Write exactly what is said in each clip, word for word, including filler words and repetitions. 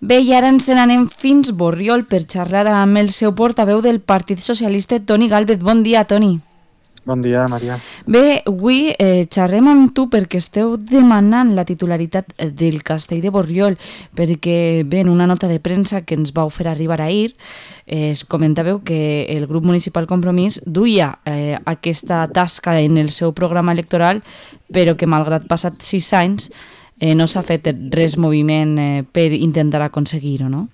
Bé, i ara ens n'anem fins Borriol per xerrar amb el seu portaveu del Partit Socialista, Toni Gálvez. Bon dia, Toni. Bon dia, Maria. Bé, avui eh, xerrem amb tu perquè esteu demanant la titularitat del castell de Borriol, perquè bé, en una nota de premsa que ens vau fer arribar ahir, eh, es comentàveu que el grup municipal Compromís duia eh, aquesta tasca en el seu programa electoral, però que malgrat passat sis anys eh, no s'ha fet res moviment eh, per intentar aconseguir-ho, no?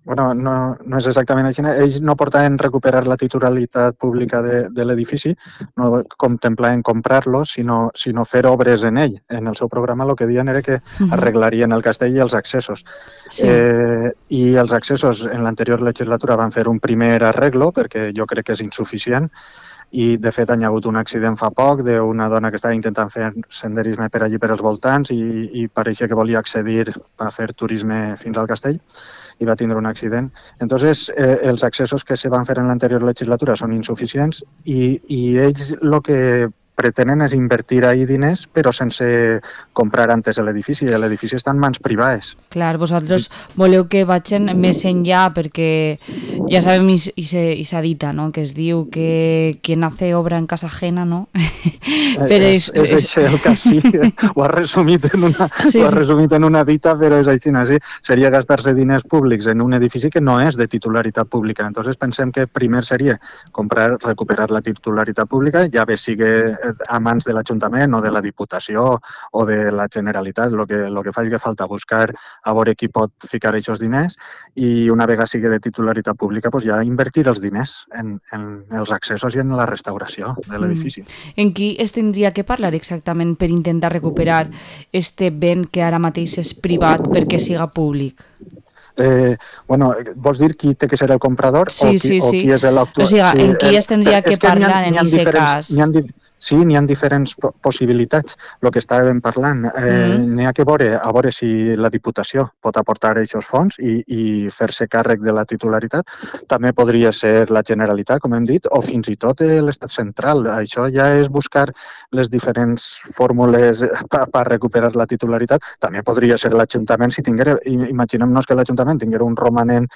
Bueno, no, no és exactament així. Ells no portaven recuperar la titularitat pública de, de l'edifici, no contemplaven comprar-lo, sinó, sinó fer obres en ell. En el seu programa el que diuen era que arreglarien el castell i els accessos. Sí. Eh, I els accessos en l'anterior legislatura van fer un primer arreglo, perquè jo crec que és insuficient, i de fet hi ha hagut un accident fa poc d'una dona que estava intentant fer senderisme per allí per als voltants i, i pareixia que volia accedir a fer turisme fins al castell i va tindre un accident. Entonces, eh, els accessos que se van fer en l'anterior legislatura són insuficients i, i ells el que pretenen és invertir ahir diners, però sense comprar antes l'edifici. L'edifici està en mans privades. Clar, vosaltres voleu que vagin més enllà, perquè ja sabem i, i, se, i s'ha dit, no?, que es diu que quien hace obra en casa ajena, no? Però és, és, és això el cas, sí. Ho has resumit en una, sí, ho has resumit en una dita, però és així, sí. Seria gastar-se diners públics en un edifici que no és de titularitat pública. Entonces pensem que primer seria comprar, recuperar la titularitat pública, ja bé sigui a mans de l'Ajuntament o de la Diputació o de la Generalitat. El que, lo que fa és que falta buscar a veure qui pot ficar aquests diners i una vegada sigui de titularitat pública pues ja invertir els diners en, en els accessos i en la restauració de l'edifici. Mm. En qui es tindria que parlar exactament per intentar recuperar este bé que ara mateix és privat perquè siga públic? Eh, bueno, vols dir qui té que ser el comprador sí, o, qui, sí, o sí. qui és l'actual? O sigui, sí, en qui es tindria que, que parlar ha, en aquest cas? N'hi ha Sí, n'hi ha diferents possibilitats, el que estàvem parlant. Eh, mm. N'hi ha que veure, a veure si la Diputació pot aportar aquests fons i, i fer-se càrrec de la titularitat. També podria ser la Generalitat, com hem dit, o fins i tot l'Estat central. Això ja és buscar les diferents fórmules per pa recuperar la titularitat. També podria ser l'Ajuntament, si tinguera, imaginem-nos que l'Ajuntament tinguera un romanent,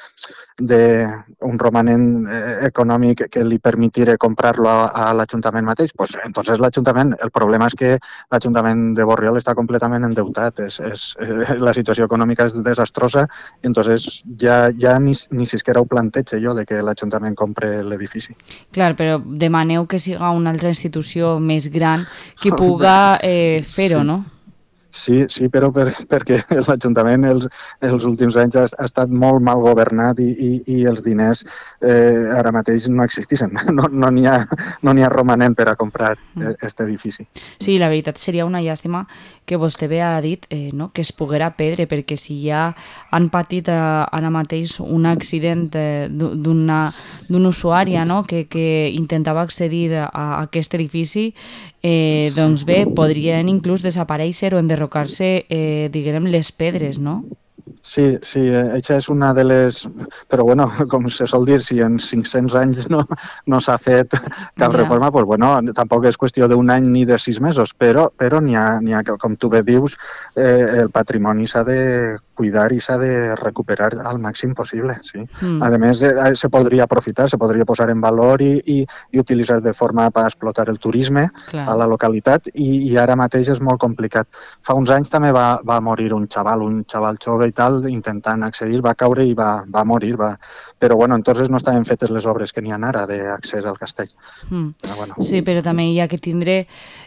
de, un romanent econòmic que li permetira comprar-lo a, a l'Ajuntament mateix, doncs entonces l'Ajuntament, el problema és que l'Ajuntament de Borriol està completament endeutat, és, és, la situació econòmica és desastrosa, i entonces ja, ja ni, ni siquiera ho planteja jo de que l'Ajuntament compre l'edifici. Clar, però demaneu que siga una altra institució més gran que puga eh, fer-ho, sí. No? Sí, sí, però per, perquè l'Ajuntament els, els últims anys ha, ha estat molt mal governat i, i, i els diners eh, ara mateix no existeixen. No, no n'hi ha, no n'hi ha romanent per a comprar aquest edifici. Sí, la veritat seria una llàstima que vostè bé ha dit eh, no? que es poguera perdre, perquè si ja han patit eh, ara mateix un accident eh, d'una d'un usuària, no? que, que intentava accedir a, a aquest edifici, eh, doncs bé, podrien inclús desaparèixer o enderrocar-se, eh, diguem, les pedres, no? Sí, sí, això és una de les... Però, bueno, com se sol dir, si en cinc-cents anys no, no s'ha fet cap ja. reforma, doncs, bueno, tampoc és qüestió d'un any ni de sis mesos, però, però n'hi ha, n'hi ha, com tu bé dius, eh, el patrimoni s'ha de cuidar i s'ha de recuperar al màxim possible, sí. Mm. A més, eh, se podria aprofitar, se podria posar en valor i, i, i utilitzar de forma per explotar el turisme Clar. A la localitat i, i ara mateix és molt complicat. Fa uns anys també va, va morir un xaval, un xaval jove i tal, intentant accedir, va caure i va, va morir, va... però bueno, entonces no estaven fetes les obres que n'hi ha ara d'accés al castell. Mm. Però, bueno. Sí, però també hi ha que tindre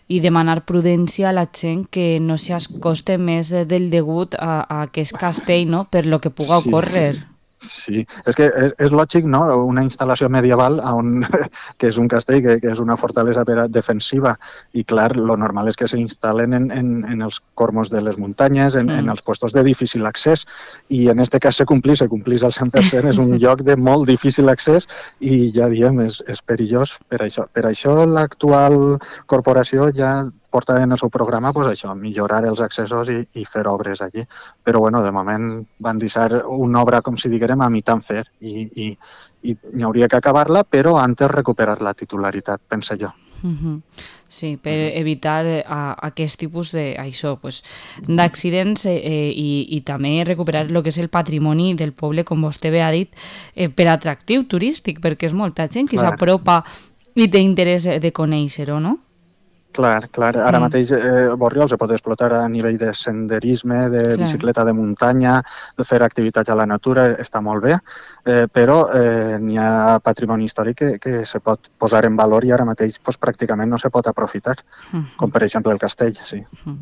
i demanar prudència a la gent que no s'acoste més del degut a, a aquest castell, no?, per lo que puga ocórrer. Sí. Sí, és que és, és lògic, no?, una instal·lació medieval on, que és un castell, que, que és una fortalesa defensiva, i clar, lo normal és que s'instal·len en, en, en els cormos de les muntanyes, en, mm. en els puestos de difícil accés, i en aquest cas se complís, se complís al cent per cent, és un lloc de molt difícil accés i ja diem, és, és perillós per això. Per això l'actual corporació ja porta en el seu programa pues, això, millorar els accessos i, i fer obres allí. Però bueno, de moment van deixar una obra, com si diguem, a mitjan fer i, i, i n'hi hauria que acabar-la, però antes recuperar la titularitat, penso jo. Uh-huh. Sí, per uh-huh. evitar a, aquest tipus de, això, pues, d'accidents eh, i, i també recuperar el que és el patrimoni del poble, com vostè bé ha dit, eh, per atractiu turístic, perquè és molta gent que s'apropa i té interès de conèixer-ho, no? Clar, clar. Ara mm. mateix eh, Borriol se pot explotar a nivell de senderisme, de clar. Bicicleta de muntanya, de fer activitats a la natura, està molt bé, eh, però eh, n'hi ha patrimoni històric que, que se pot posar en valor i ara mateix pues, pràcticament no se pot aprofitar, mm. com per exemple el castell. Sí. Mm.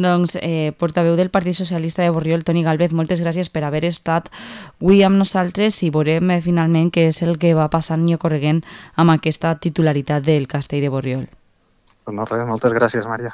Doncs, eh, portaveu del Partit Socialista de Borriol, Toni Gálvez, moltes gràcies per haver estat avui amb nosaltres i veurem eh, finalment què és el que va passant i ocorregent amb aquesta titularitat del castell de Borriol. No res, moltes gràcies, Maria.